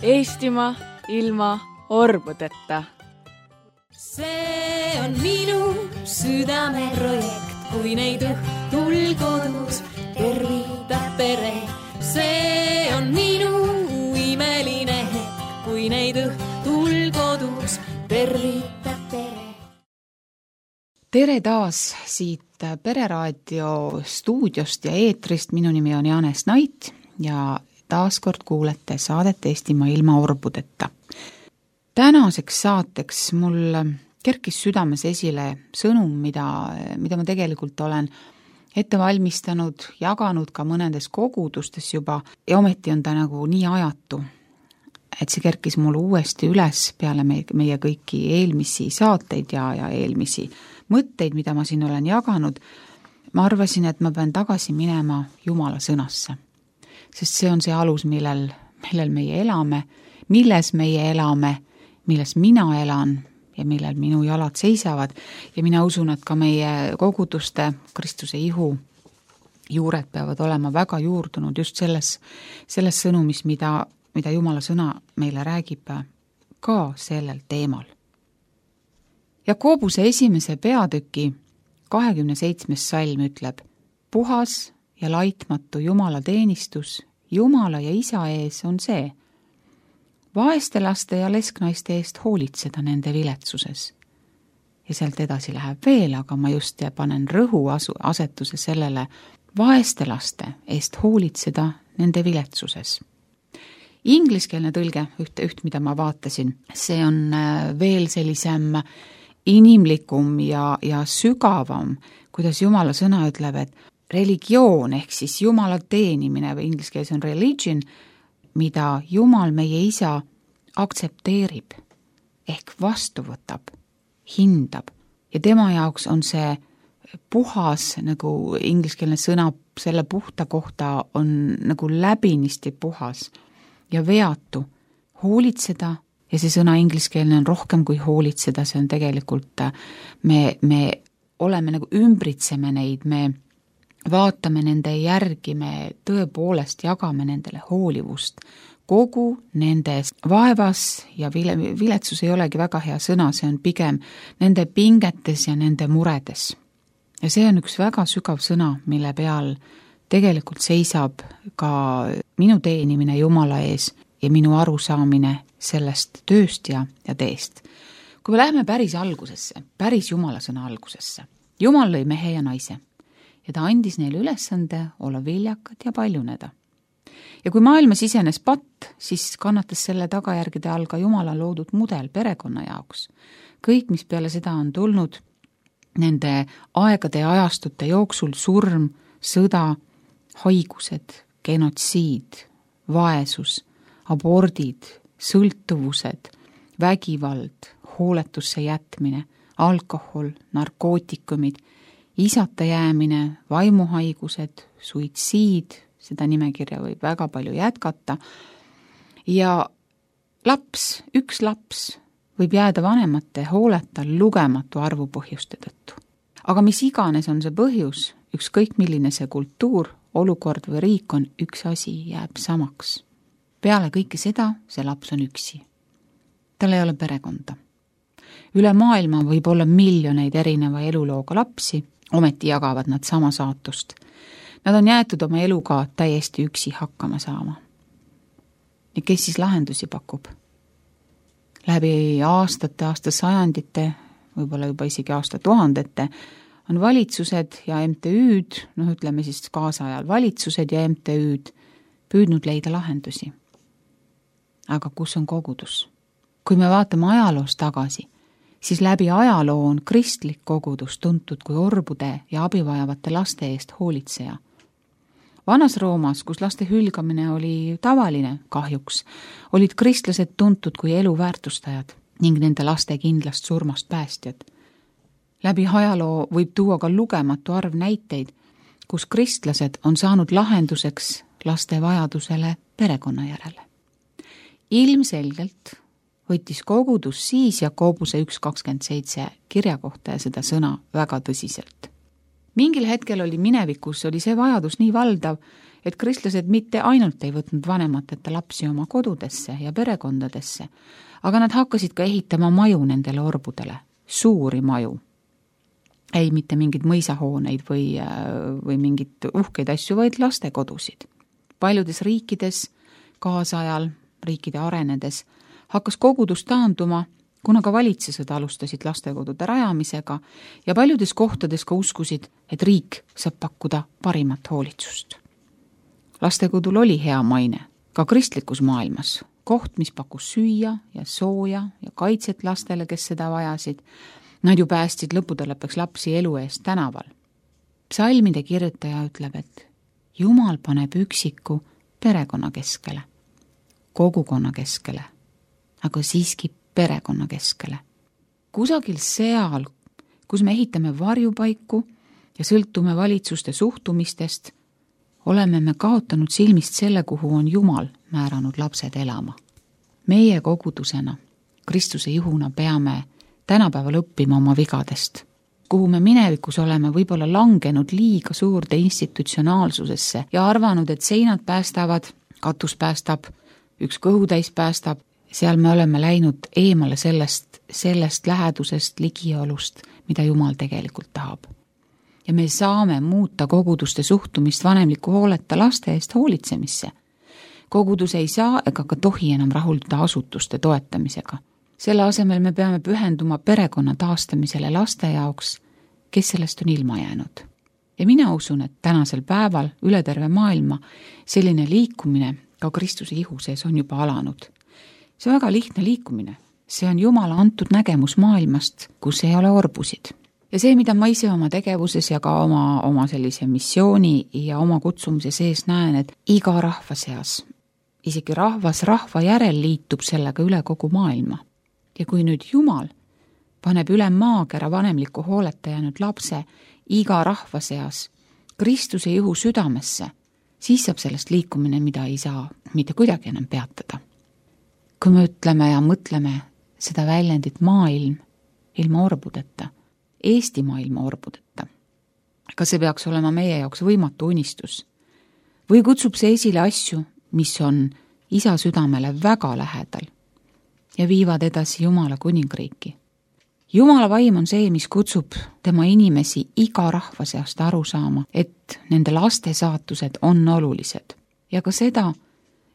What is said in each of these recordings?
Eestimaa ilma orbudeta. See on minu südameprojekt, kui neid õhtul kodus tervitab pere. See on minu imeline hetk, kui neid õhtul kodus tervitab pere. Tere taas siit Pereraadio stuudiost ja eetrist. Minu nimi on Janes Nait ja taaskord kuulete saadet Eestimaa ilma orbudeta. Tänaseks saateks mul kerkis südames esile sõnum, mida ma tegelikult olen ette valmistanud, jaganud ka mõnedes kogudustes juba ja ometi on ta nagu nii ajatu, et see kerkis mul uuesti üles peale meie kõiki eelmisi saateid ja eelmisi mõtteid, mida ma siin olen jaganud. Ma arvasin, et ma pean tagasi minema Jumala sõnasse, sest see on see alus, millel meie elame, milles meie elame, milles mina elan ja millel minu jalad seisavad ja mina usun, et ka meie koguduste Kristuse ihu juured peavad olema väga juurdunud just selles sõnumis, mida Jumala sõna meile räägib ka sellel teemal. Jakobuse 1. peatüki 27. salm ütleb: puhas ja laitmatu Jumala teenistus Jumala ja Isa ees on see, vaeste laste ja lesknaiste eest hoolitseda nende viletsuses. Ja sealt edasi läheb veel, aga ma just panen rõhuasetuse sellele vaeste laste eest hoolitseda nende viletsuses. Ingliskeelne tõlge, üht mida ma vaatasin, see on veel sellisem inimlikum ja sügavam, kuidas Jumala sõna ütleb, et religioon ehk siis Jumala teenimine või inglise keeles on religion, mida Jumal meie Isa aktsepteerib ehk vastu võtab, hindab ja tema jaoks on see puhas, nagu ingliskeelne sõna selle puhta kohta on nagu läbinisti puhas ja veatu, hoolitseda. Ja see sõna ingliskeelne on rohkem kui hoolitseda, see on tegelikult, me oleme nagu ümbritseme neid, me vaatame nende järgi, me tõepoolest jagame nendele hoolivust. Kogu nendes vaevas ja viletsus ei olegi väga hea sõna, see on pigem nende pingetes ja nende muredes. Ja see on üks väga sügav sõna, mille peal tegelikult seisab ka minu teenimine Jumala ees ja minu arusaamine sellest tööst ja teest. Kui me läheme päris algusesse, päris Jumala sõna algusesse, Jumal lõi mehe ja naise ja ta andis neile ülesande olla viljakad ja paljuneda. Ja kui maailma sisenes patt, siis kannatas selle tagajärgede all ka Jumala loodud mudel perekonna jaoks. Kõik, mis peale seda on tulnud, nende aegade ja ajastute jooksul surm, sõda, haigused, genotsiid, vaesus, abordid, sõltuvused, vägivald, hooletusse jätmine, alkohol, narkootikumid, isata jäämine, vaimuhaigused, suitsiid, seda nimekirja võib väga palju jätkata, ja üks laps võib jääda vanemate hooleta lugematu arvu põhjuste tõttu. Aga mis iganes on see põhjus, ükskõik milline see kultuur, olukord või riik on, üks asi jääb samaks. Peale kõike seda, see laps on üksi. Tal ei ole perekonda. Üle maailma võib olla miljoneid erineva elulooga lapsi, ometi jagavad nad sama saatust. Nad on jäetud oma eluga täiesti üksi hakkama saama. Ja kes siis lahendusi pakub? Läbi aastasajandite, võib-olla juba isegi aastatuhandete, on valitsused ja MTÜ'd, ütleme siis kaasajal valitsused ja MTÜ'd püüdnud leida lahendusi. Aga kus on kogudus? Kui me vaatame ajaloos tagasi, siis läbi ajaloo on kristlik kogudus tuntud kui orbude ja abivajavate laste eest hoolitseja. Vanas Roomas, kus laste hülgamine oli tavaline kahjuks, olid kristlased tuntud kui elu väärtustajad ning nende laste kindlast surmast päästjad. Läbi ajaloo võib tuua ka lugematu arv näiteid, kus kristlased on saanud lahenduseks laste vajadusele perekonna järele. Ilmselgelt võttis kogudus siis Jakobuse 1.27 kirja kohta ja seda sõna väga tõsiselt. Mingil hetkel oli minevikus, oli see vajadus nii valdav, et kristlased mitte ainult ei võtnud vanemateta lapsi oma kodudesse ja perekondadesse, aga nad hakkasid ka ehitama maju nendele orbudele, suuri maju. Ei mitte mingid mõisahooneid või mingid uhkeid asju, vaid lastekodusid. Paljudes riikides, kaasajal, riikide arenedes, hakkas kogudus taanduma, kuna ka valitsesed alustasid lastekodude rajamisega ja paljudes kohtades ka uskusid, et riik saab pakkuda parimat hoolitsust. Lastekodul oli hea maine, ka kristlikus maailmas, koht, mis pakkus süüa ja sooja ja kaitset lastele, kes seda vajasid. Nad ju päästsid lõppude lõpuks lapsi elu eest tänaval. Psalmide kirjutaja ütleb, et Jumal paneb üksiku perekonna keskele, kogukonna keskele, aga siiski perekonna keskele. Kusagil seal, kus me ehitame varjupaiku ja sõltume valitsuste suhtumistest, oleme me kaotanud silmist selle, kuhu on Jumal määranud lapsed elama. Meie kogudusena, Kristuse juhuna peame tänapäeval õppima oma vigadest, kuhu me minevikus oleme võib-olla langenud liiga suurde institutsionaalsusesse ja arvanud, et seinad päästavad, katus päästab, üks kõhutäis päästab. Seal me oleme läinud eemale sellest lähedusest, ligiolust, mida Jumal tegelikult tahab. Ja me saame muuta koguduste suhtumist vanemliku hooleta laste eest hoolitsemisse. Kogudus ei saa ega ka tohi enam rahulduda asutuste toetamisega. Selle asemel me peame pühenduma perekonna taastamisele laste jaoks, kes sellest on ilma jäänud. Ja mina usun, et tänasel päeval üle terve maailma selline liikumine ka Kristuse ihu sees on juba alanud. See on väga lihtne liikumine. See on Jumala antud nägemus maailmast, kus ei ole orbusid. Ja see, mida ma ise oma tegevuses ja ka oma sellise missiooni ja oma kutsumise sees näen, et iga rahva seas, isegi rahvas rahva järel liitub sellega üle kogu maailma. Ja kui nüüd Jumal paneb üle maakera vanemliku hooleta jäänud lapse iga rahva seas Kristuse juhu südamesse, siis saab sellest liikumine, mida ei saa mitte kuidagi enam peatada. Kui me ütleme ja mõtleme seda väljendit maailm ilma orbudeta, Eesti maailma orbudeta, kas see peaks olema meie jaoks võimatu unistus? Või kutsub see esile asju, mis on isa südamele väga lähedal ja viivad edasi Jumala kuningriiki? Jumala vaim on see, mis kutsub tema inimesi iga rahva seast aru saama, et nende laste saatused on olulised. Ja ka seda,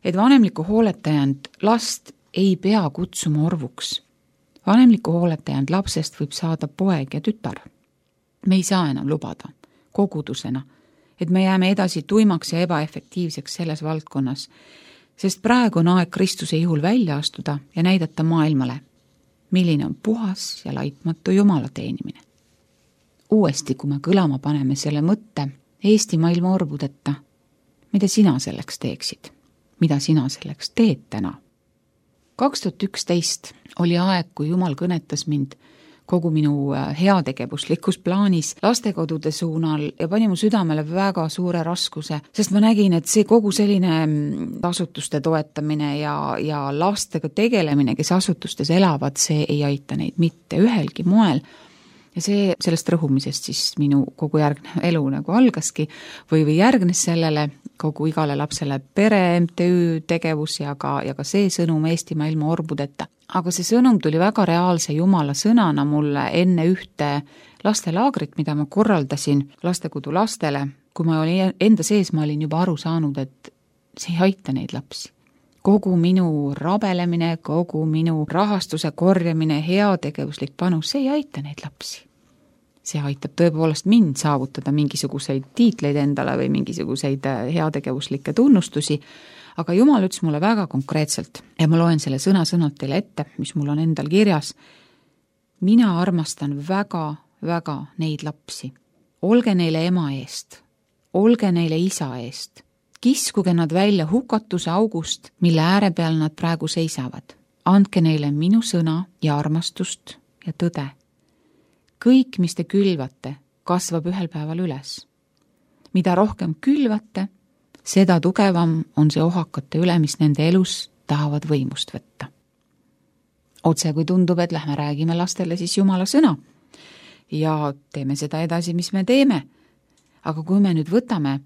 et vanemliku hooletajand last ei pea kutsuma orvuks. Vanemliku hooletajand lapsest võib saada poeg ja tütar. Me ei saa enam lubada kogudusena, et me jääme edasi tuimaks ja ebaefektiivseks selles valdkonnas, sest praegu on aeg Kristuse ihul välja astuda ja näidata maailmale, milline on puhas ja laitmatu Jumala teenimine. Uuesti, kui me kõlama paneme selle mõtte Eesti maailma orbudeta, mida sina selleks teeksid? Mida sina selleks teed täna? 2011 oli aeg, kui Jumal kõnetas mind kogu minu heategevuslikus plaanis lastekodude suunal ja pani mu südamele väga suure raskuse, sest ma nägin, et see kogu selline asutuste toetamine ja lastega tegelemine, kes asutustes elavad, see ei aita neid mitte ühelgi moel. Ja sellest rõhumisest siis minu kogu järgnev elu nagu algaski või järgnes sellele kogu igale lapsele pere MTÜ tegevus ja ka see sõnum Eestimaa ilma orbudeta. Aga see sõnum tuli väga reaalse Jumala sõnana mulle enne ühte lastelaagrit, mida ma korraldasin lastekodu lastele. Kui ma olin enda sees, ma olin juba aru saanud, et see ei aita neid lapsi. Kogu minu rabelemine, kogu minu rahastuse korjamine, heategevuslik panus, see ei aita neid lapsi. See aitab tõepoolest mind saavutada mingisuguseid tiitleid endale või mingisuguseid heategevuslikke tunnustusi, aga Jumal ütles mulle väga konkreetselt ja ma loen selle sõna-sõnalt teile ette, mis mul on endal kirjas. Mina armastan väga neid lapsi. Olge neile ema eest, olge neile isa eest. Kiskuge nad välja hukatuse august, mille ääre peal nad praegu seisavad. Andke neile minu sõna ja armastust ja tõde. Kõik, mis te külvate, kasvab ühel päeval üles. Mida rohkem külvate, seda tugevam on see ohakate üle, mis nende elus tahavad võimust võtta. Otse kui tundub, et lähme räägime lastele siis Jumala sõna ja teeme seda edasi, mis me teeme. aga kui me nüüd võtame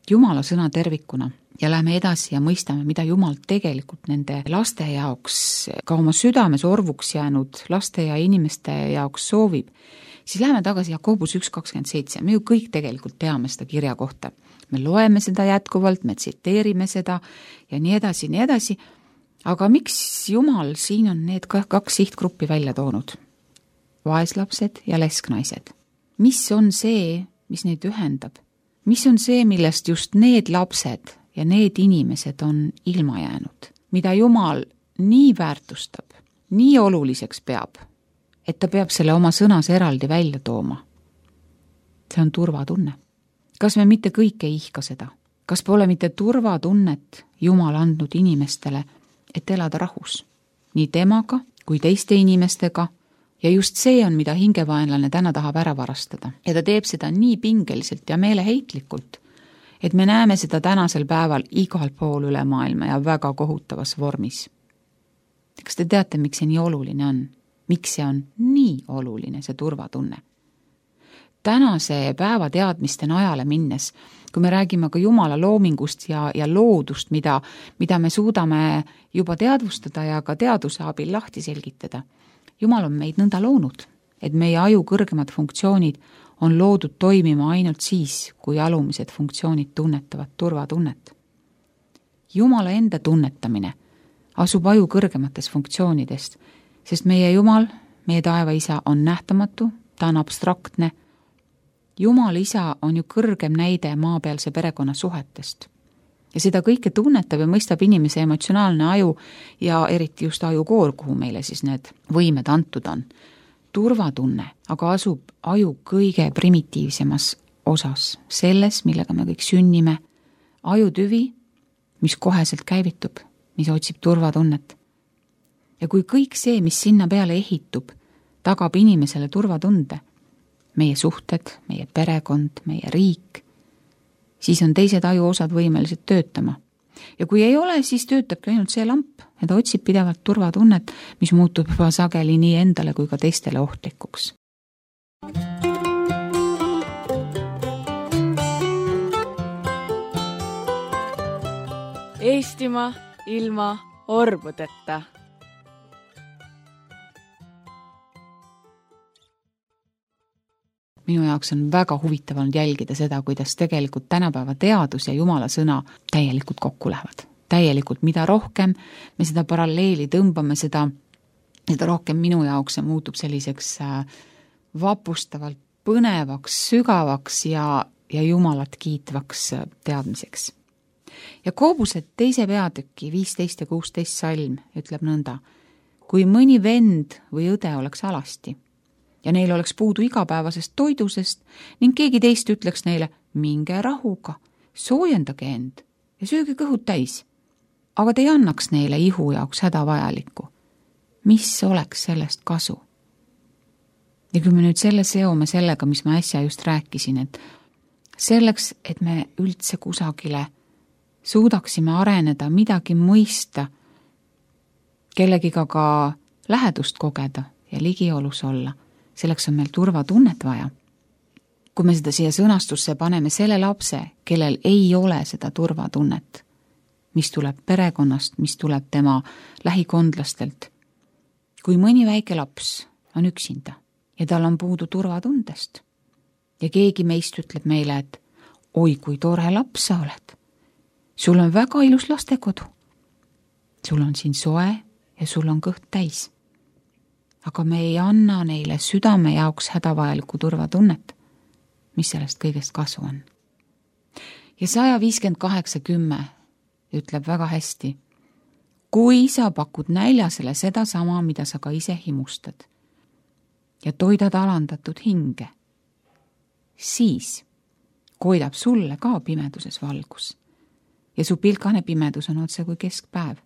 Jumala sõna tervikuna ja lähme edasi ja mõistame, mida Jumal tegelikult nende laste jaoks, ka oma südames orvuks jäänud laste ja inimeste jaoks soovib, siis läheme tagasi Jakobus 1.27. Me ju kõik tegelikult teame seda kirja kohta. Me loeme seda jätkuvalt, me tsiteerime seda ja nii edasi. Aga miks Jumal siin on need kaks sihtgruppi välja toonud? Vaeslapsed ja lesknaised. Mis on see, mis neid ühendab? Mis on see, millest just need lapsed ja need inimesed on ilma jäänud? Mida Jumal nii väärtustab, nii oluliseks peab, et ta peab selle oma sõnas eraldi välja tooma. See on turvatunne. Kas me mitte kõik ei ihka seda? Kas pole mitte turvatunnet Jumal andnud inimestele, et elada rahus? Nii temaga kui teiste inimestega. Ja just see on, mida hingevaenlane täna tahab ära varastada. Ja ta teeb seda nii pingeliselt ja meeleheitlikult, et me näeme seda tänasel päeval igal pool üle maailma ja väga kohutavas vormis. Kas te teate, miks see nii oluline on? Miks see on nii oluline, see turvatunne? Tänase päeva teadmiste najale minnes, kui me räägime ka Jumala loomingust ja loodust, mida me suudame juba teadvustada ja ka teaduse abil lahti selgitada, Jumal on meid nõnda loonud, et meie aju kõrgemad funktsioonid on loodud toimima ainult siis, kui alumised funktsioonid tunnetavad turvatunnet. Jumala enda tunnetamine asub aju kõrgemates funktsioonidest, sest meie Jumal, meie taeva isa on nähtamatu, ta on abstraktne. Jumal isa on ju kõrgem näide maapealse perekonna suhetest. Ja seda kõike tunnetab ja mõistab inimese emotsionaalne aju ja eriti just ajukoor, kuhu meile siis need võimed antud on. Turvatunne aga asub aju kõige primitiivsemas osas, selles, millega me kõik sünnime. Ajutüvi, mis koheselt käivitub, mis otsib turvatunnet. Ja kui kõik see, mis sinna peale ehitub, tagab inimesele turvatunde, meie suhted, meie perekond, meie riik, siis on teised ajuosad võimelised töötama. Ja kui ei ole, siis töötabki ainult see lamp ja ta otsib pidevalt turvatunnet, mis muutub juba sageli nii endale kui ka teistele ohtlikuks. Eestimaa ilma orbudeta. Minu jaoks on väga huvitav olnud jälgida seda, kuidas tegelikult tänapäeva teadus ja Jumala sõna täielikult kokku lähevad. Täielikult, mida rohkem me seda paralleeli tõmbame, seda rohkem minu jaoks see muutub selliseks vapustavalt põnevaks, sügavaks ja Jumalat kiitvaks teadmiseks. Jakobuse 2. peatüki 15 ja 16 salm ütleb nõnda: kui mõni vend või õde oleks alasti ja neil oleks puudu igapäevasest toidusest ning keegi teist ütleks neile: minge rahuga, soojendage end ja sööge kõhud täis, aga te ei annaks neile ihu jaoks hädavajalikku. Mis oleks sellest kasu? Ja kui me nüüd selle seome sellega, mis ma äsja just rääkisin, et selleks, et me üldse kusagile suudaksime areneda, midagi mõista, kellegiga ka lähedust kogeda ja ligiolus olla, selleks on meil turvatunnet vaja. Kui me seda siia sõnastusse paneme selle lapse, kellel ei ole seda turvatunnet, mis tuleb perekonnast, mis tuleb tema lähikondlastelt. Kui mõni väike laps on üksinda ja tal on puudu turvatundest ja keegi meist ütleb meile, et oi, kui tore laps sa oled, sul on väga ilus lastekodu, sul on siin soe ja sul on kõht täis. Aga me ei anna neile südame jaoks hädavajalikku turvatunnet, mis sellest kõigest kasu on. Ja 158:10 ütleb väga hästi: kui sa pakud näljasele seda sama, mida sa ka ise himustad ja toidad alandatud hinge, siis koidab sulle ka pimeduses valgus ja su pilkane pimedus on otse kui keskpäev.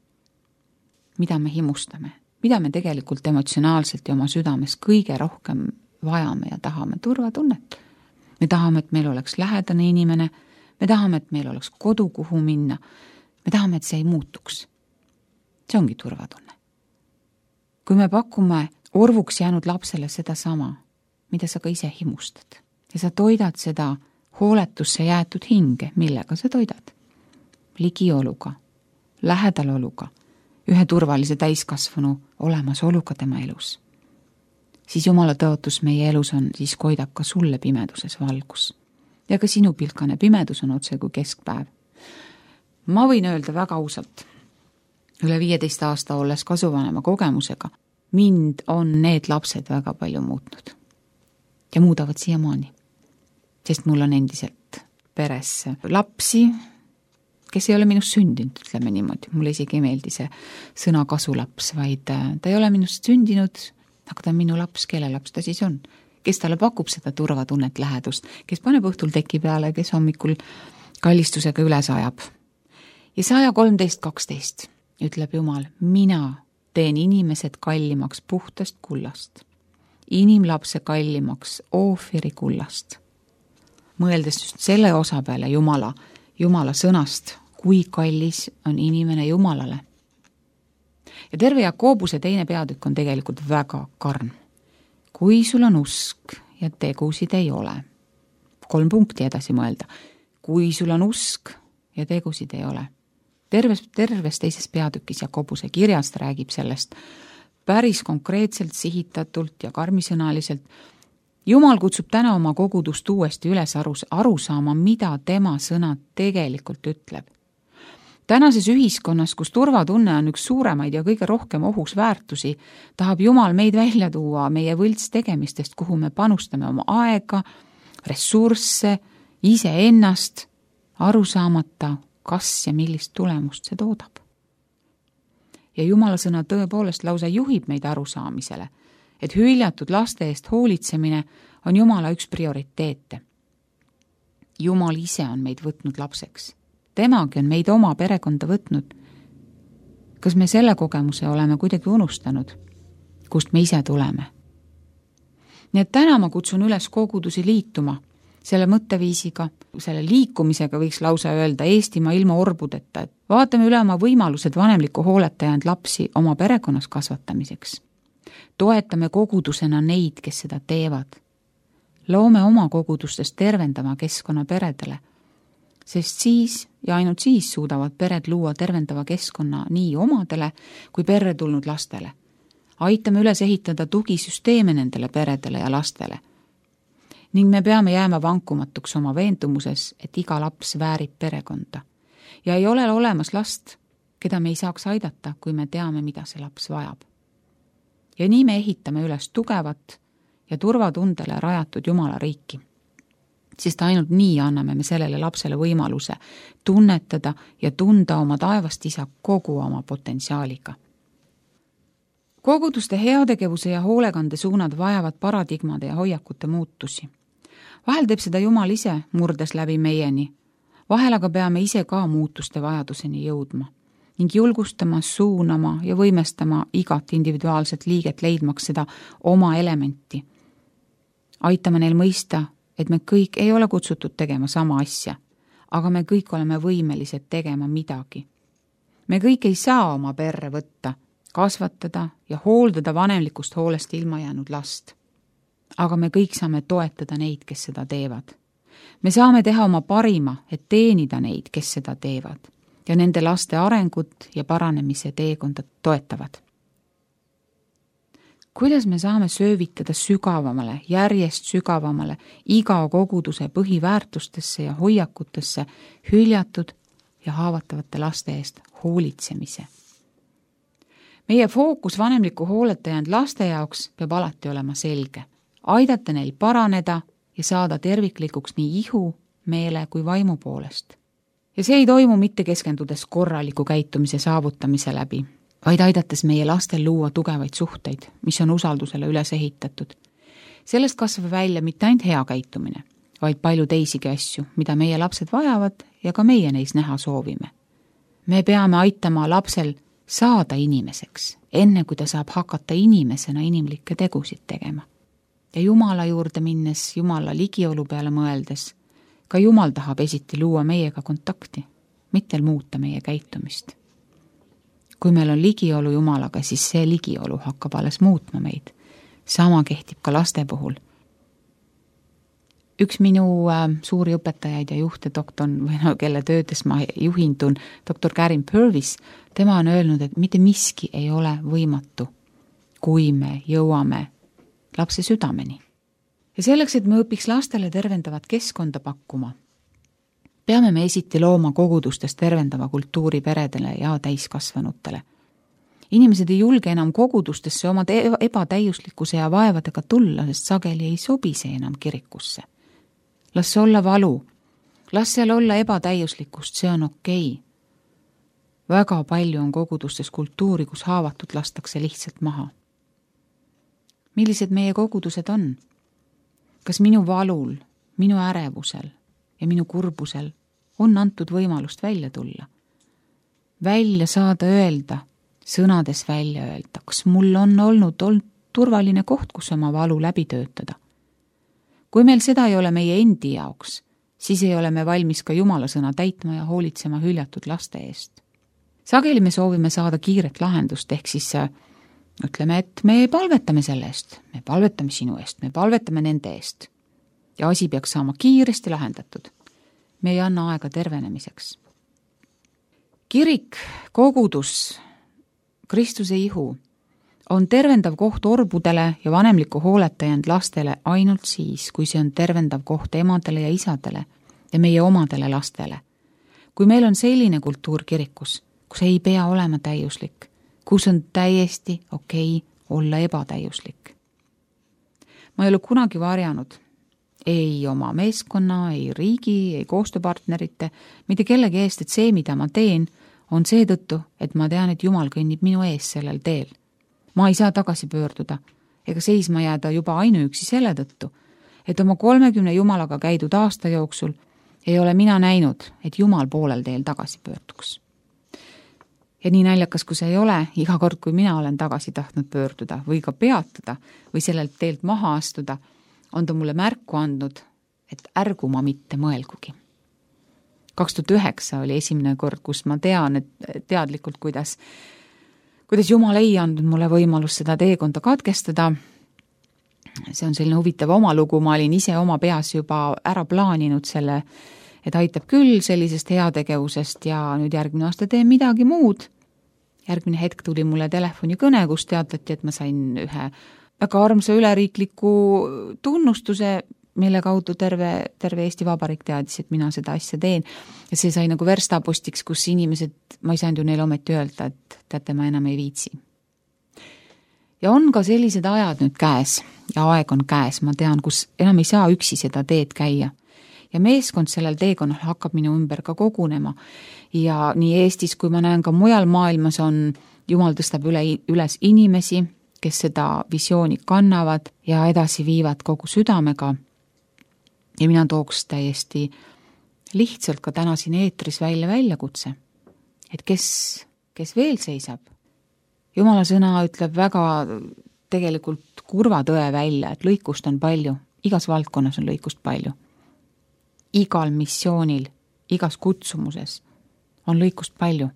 Mida me himustame? Mida me tegelikult emotsionaalselt ja oma südames kõige rohkem vajame ja tahame? Turvatunnet. Me tahame, et meil oleks lähedane inimene, me tahame, et meil oleks kodu, kuhu minna, me tahame, et see ei muutuks. See ongi turvatunne. Kui me pakume orvuks jäänud lapsele seda sama, mida sa ka ise himustad ja sa toidad seda hooletusse jäetud hinge, millega sa toidad. Ligioluga, lähedaloluga, ühe turvalise täiskasvanu olemasoluga tema elus. Siis Jumala tõotus meie elus on, siis koidab ka sulle pimeduses valgus. Ja ka sinu pilkane pimedus on otse kui keskpäev. Ma võin öelda väga ausalt, üle 15 aasta olles kasuvanema kogemusega, mind on need lapsed väga palju muutnud. Ja muudavad siiamaani. Sest mul on endiselt peres lapsi, kes ei ole minust sündinud, ütleme niimoodi. Mulle isegi ei meeldi see sõna kasulaps, vaid ta ei ole minust sündinud, aga ta on minu laps, kelle laps ta siis on. Kes talle pakub seda turvatunnet lähedust, kes paneb õhtul teki peale, kes hommikul kallistusega üles ajab. Ja 113:12 ütleb Jumal, mina teen inimesed kallimaks puhtast kullast, inimlapse kallimaks oofiri kullast. Mõeldes just selle osa peale Jumala sõnast, kui kallis on inimene Jumalale. Ja terve Jakobuse 2. peatükk on tegelikult väga karm. Kui sul on usk ja tegusid ei ole. 3 punkti edasi mõelda. Kui sul on usk ja tegusid ei ole. Terves 2. peatükis Jakobuse kirjast räägib sellest päris konkreetselt, sihitatult ja karmisõnaliselt. Jumal kutsub täna oma kogudust uuesti üles aru saama, mida tema sõna tegelikult ütleb. Tänases ühiskonnas, kus turvatunne on üks suuremaid ja kõige rohkem ohus väärtusi, tahab Jumal meid välja tuua meie võlts tegemistest, kuhu me panustame oma aega, ressursse, iseennast, aru saamata, kas ja millist tulemust see toodab. Ja Jumala sõna tõepoolest lausa juhib meid arusaamisele, et hüljatud laste eest hoolitsemine on Jumala üks prioriteete. Jumal ise on meid võtnud lapseks. Temagi on meid oma perekonda võtnud. Kas me selle kogemuse oleme kuidagi unustanud, kust me ise tuleme? Nii et täna ma kutsun üles kogudusi liituma selle mõtteviisiga, selle liikumisega võiks lausa öelda Eestimaa ilma orbudeta, et vaatame üle oma võimalused vanemliku hooletajand lapsi oma perekonnas kasvatamiseks. Toetame kogudusena neid, kes seda teevad. Loome oma kogudustes tervendama keskkonna peredele, sest siis ja ainult siis suudavad pered luua tervendava keskkonna nii omadele kui perre tulnud lastele. Aitame üles ehitada tugisüsteeme nendele peredele ja lastele. Ning me peame jääma vankumatuks oma veendumuses, et iga laps väärib perekonda. Ja ei ole olemas last, keda me ei saaks aidata, kui me teame, mida see laps vajab. Ja nii me ehitame üles tugevat ja turvatundele rajatud Jumala riiki. Sest ainult nii anname me sellele lapsele võimaluse tunnetada ja tunda oma taevast isa kogu oma potentsiaaliga. Koguduste heategevuse ja hoolekande suunad vajavad paradigmade ja hoiakute muutusi. Vahel teeb seda Jumal ise, murdes läbi meieni. Vahel aga peame ise ka muutuste vajaduseni jõudma ning julgustama, suunama ja võimestama igat individuaalset liiget leidmaks seda oma elementi. Aitame neil mõista, et me kõik ei ole kutsutud tegema sama asja, aga me kõik oleme võimelised tegema midagi. Me kõik ei saa oma perre võtta, kasvatada ja hooldada vanemlikust hoolest ilma jäänud last. Aga me kõik saame toetada neid, kes seda teevad. Me saame teha oma parima, et teenida neid, kes seda teevad ja nende laste arengut ja paranemise teekonda toetavad. Kuidas me saame söövitada sügavamale, järjest sügavamale iga koguduse põhiväärtustesse ja hoiakutesse hüljatud ja haavatavate laste eest hoolitsemise? Meie fookus vanemliku hooletajand laste jaoks peab alati olema selge. Aidata neil paraneda ja saada terviklikuks nii ihu, meele kui vaimu poolest. Ja see ei toimu mitte keskendudes korraliku käitumise saavutamise läbi, vaid aidates meie lastel luua tugevaid suhteid, mis on usaldusele üles ehitatud. Sellest kasvab välja mitte ainult hea käitumine, vaid palju teisigi asju, mida meie lapsed vajavad ja ka meie neis näha soovime. Me peame aitama lapsel saada inimeseks, enne kui ta saab hakata inimesena inimlikke tegusid tegema. Ja Jumala juurde minnes, Jumala ligiolu peale mõeldes, ka Jumal tahab esiti luua meiega kontakti, mitte muuta meie käitumist. Kui meil on ligiolu Jumalaga, siis see ligiolu hakkab alles muutma meid. Sama kehtib ka laste puhul. Üks minu suuri õpetajaid ja juhte, kelle töödes ma juhindun, doktor Karin Purvis, tema on öelnud, et mitte miski ei ole võimatu, kui me jõuame lapse südameni. Ja selleks, et me õpiks lastele tervendavat keskkonda pakkuma, peame me esiti looma kogudustes tervendava kultuuri peredele ja täiskasvanutele. Inimesed ei julge enam kogudustesse oma ebatäiuslikkuse ja vaevadega tulla, sest sageli ei sobi see enam kirikusse. Las see olla valu, las seal olla ebatäiuslikkust, see on okei. Väga palju on kogudustes kultuuri, kus haavatud lastakse lihtsalt maha. Millised meie kogudused on? Kas minu valul, minu ärevusel ja minu kurbusel on antud võimalust välja tulla? Välja saada öelda, sõnades välja öelda, kas mul on olnud turvaline koht, kus oma valu läbi töötada. Kui meil seda ei ole meie endi jaoks, siis ei ole me valmis ka Jumala sõna täitma ja hoolitsema hüljatud laste eest. Sageli me soovime saada kiiret lahendust, ehk siis ütleme, et me palvetame selle eest, me palvetame sinu eest, me palvetame nende eest. Ja asi peaks saama kiiresti lahendatud. Me ei anna aega tervenemiseks. Kirik, kogudus, Kristuse ihu on tervendav koht orbudele ja vanemliku hooletajand lastele ainult siis, kui see on tervendav koht emadele ja isadele ja meie omadele lastele. Kui meil on selline kultuur kirikus, kus ei pea olema täiuslik, kus on täiesti okei olla ebatäiuslik. Ma ei ole kunagi varjanud ei oma meeskonna, ei riigi, ei koostööpartnerite, mitte kellegi eest, et see, mida ma teen, on seetõttu, et ma tean, et Jumal kõnnib minu ees sellel teel. Ma ei saa tagasi pöörduda ega seisma jääda juba ainuüksi selle tõttu, et oma 30 Jumalaga käidud aasta jooksul ei ole mina näinud, et Jumal poolel teel tagasi pöörduks. Ja nii naljakas, kui see ei ole, iga kord, kui mina olen tagasi tahtnud pöörduda või ka peatada või sellelt teelt maha astuda, on ta mulle märku andnud, et ärgu ma mitte mõelgugi. 2009 oli esimene kord, kus ma tean, et teadlikult, kuidas Jumal ei andnud mulle võimalust seda teekonda katkestada. See on selline huvitav oma lugu, ma olin ise oma peas juba ära plaaninud selle, et aitab küll sellisest heategevusest ja nüüd järgmine aasta teen midagi muud. Järgmine hetk tuli mulle telefonikõne, kus teatati, et ma sain ühe väga armsa üleriikliku tunnustuse, mille kaudu terve Eesti Vabariik teadis, et mina seda asja teen. Ja see sai nagu verstapostiks, kus inimesed, ma ei saanud ju neile ometi öelda, et teate, ma enam ei viitsi. Ja on ka sellised ajad nüüd käes ja aeg on käes, ma tean, kus enam ei saa üksi seda teed käia. Ja meeskond sellel teekonnal hakkab minu ümber ka kogunema. Ja nii Eestis, kui ma näen ka mujal maailmas on, Jumal tõstab üles inimesi, kes seda visiooni kannavad ja edasi viivad kogu südamega. Ja mina tooks täiesti lihtsalt ka täna siin eetris väljakutse, et kes veel seisab. Jumala sõna ütleb väga tegelikult kurva tõe välja, et lõikust on palju, igas valdkonnas on lõikust palju. Igal missioonil, igas kutsumuses on lõikust palju,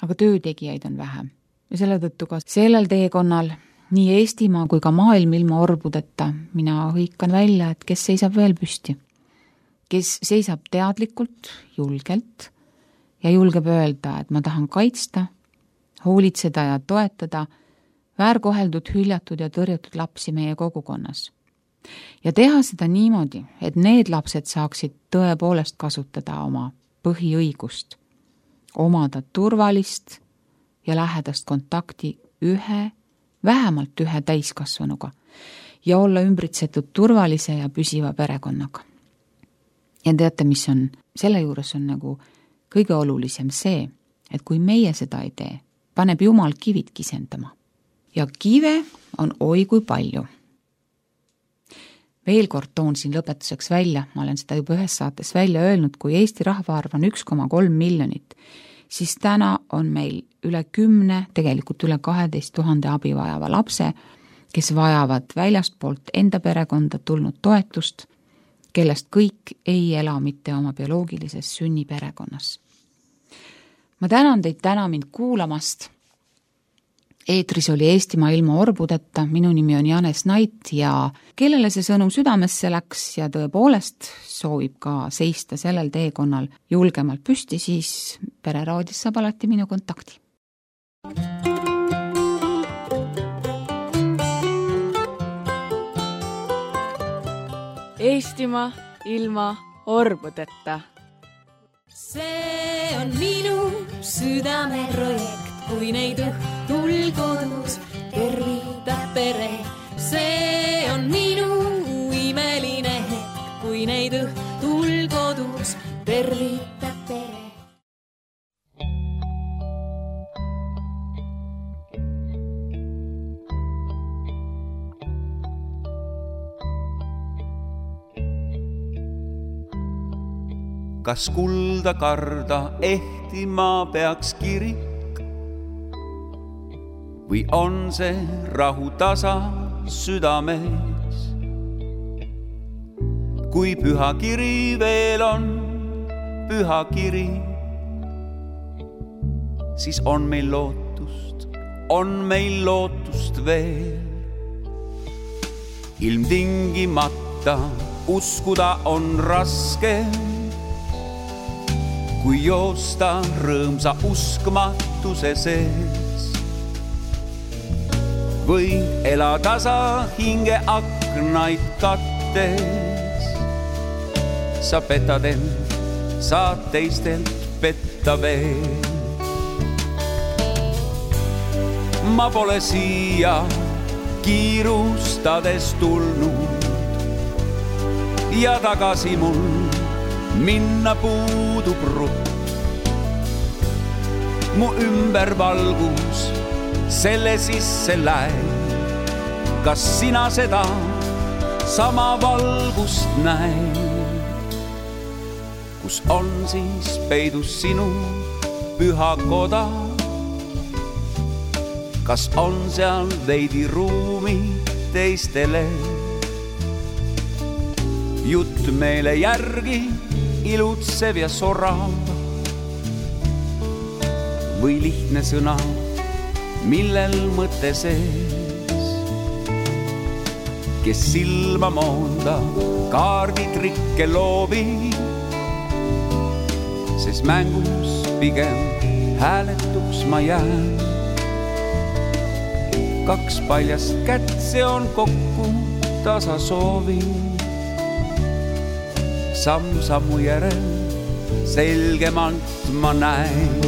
aga töötegijaid on vähem. Ja selle tõttu ka sellel teekonnal nii Eestimaa kui ka maailm ilma orbudeta mina hõikan välja, et kes seisab veel püsti. Kes seisab teadlikult, julgelt ja julgeb öelda, et ma tahan kaitsta, hoolitseda ja toetada väärkoheldud, hüljatud ja tõrjutud lapsi meie kogukonnas. Ja teha seda niimoodi, et need lapsed saaksid tõepoolest kasutada oma põhiõigust, omada turvalist ja lähedast kontakti vähemalt ühe täiskasvanuga ja olla ümbritsetud turvalise ja püsiva perekonnaga. Ja teate, mis on, selle juures on nagu kõige olulisem see, et kui meie seda ei tee, paneb Jumal kivid kisendama. Ja kive on oi kui palju. Veel kord toon siin lõpetuseks välja, ma olen seda juba ühes saates välja öelnud, kui Eesti rahvaarv on 1,3 miljonit, siis täna on meil üle 10, tegelikult üle 12 000 abi vajava lapse, kes vajavad väljastpoolt enda perekonda tulnud toetust, kellest kõik ei ela mitte oma bioloogilises sünniperekonnas. Ma tänan teid täna mind kuulamast. Eetris oli Eestimaa ilma orbudeta, minu nimi on Janes Nait ja kellele see sõnum südamesse läks ja tõepoolest soovib ka seista sellel teekonnal julgemalt püsti, siis Pereraadios saab alati minu kontakti. Eestimaa ilma orbudeta. See on minu südameprojekt, kui neid õhtul kodus tervitab pere. See on minu imeline hetk, kui neid õhtul kodus tervitab pere. Kas kulda karda ehtima peaks kirik või on see rahu tasa südames? Kui püha kiri veel on püha kiri, siis on meil lootust veel. Ilmtingimata uskuda on raske, kui joosta rõõmsa uskmatuse sees. Või ela tasa hinge aknaid kattes. Sa petad end, saad teistelt petta veel. Ma pole siia kiirustades tulnud ja tagasi mul minna puudub rutt. Mu ümber valgus selle sisse läib. Kas sina seda sama valgust näed? Kus on siis peidus sinu püha koda? Kas on seal veidi ruumi teistele? Jutt meele järgi ilutsev ja sorav või lihtne sõna, millel mõte sees. Kes silma moonda kaarditrikke loobib, sest mängus pigem hääletuks ma jään. Kaks paljast kätt, see on kokku tasa soovib. Samm sammu järel selgemalt ma näen.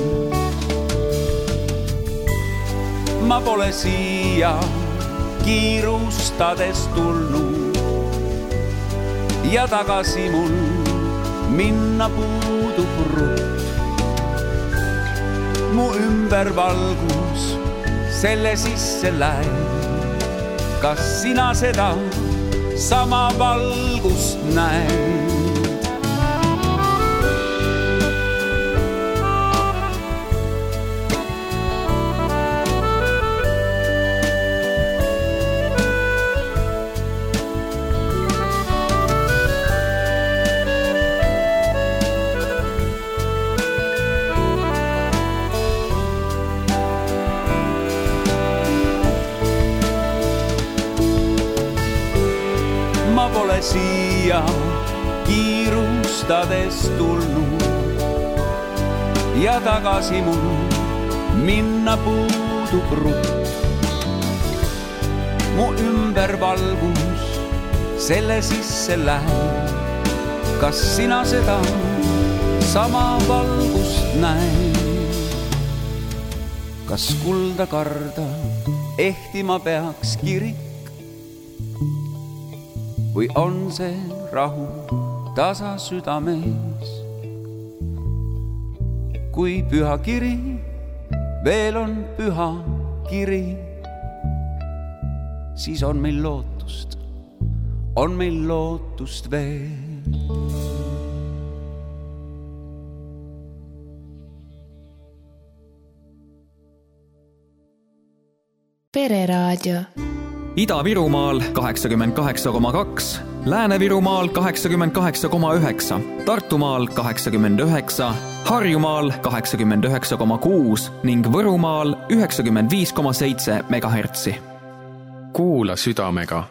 Ma pole siia kiirustades tulnud ja tagasi mul minna puudub rutt. Mu ümber valgus selle sisse läib. Kas sina seda sama valgust näed? Ma pole siia kiirustades tulnud ja tagasi mul minna puudub rutt. Mu ümber valgus selle sisse läheb. Kas sina seda sama valgust näed? Kas kulda karda ehtima peaks kirik? Või on see rahu tasa südames? Kui püha kiri veel on püha kiri, siis on meil lootust veel. Pereraadio. Ida-Virumaal 88,2 Lääne-Virumaal 88,9, Tartumaal 89, Harjumaal 89,6 ning Võrumaal 95,7 megahertsi. Kuula südamega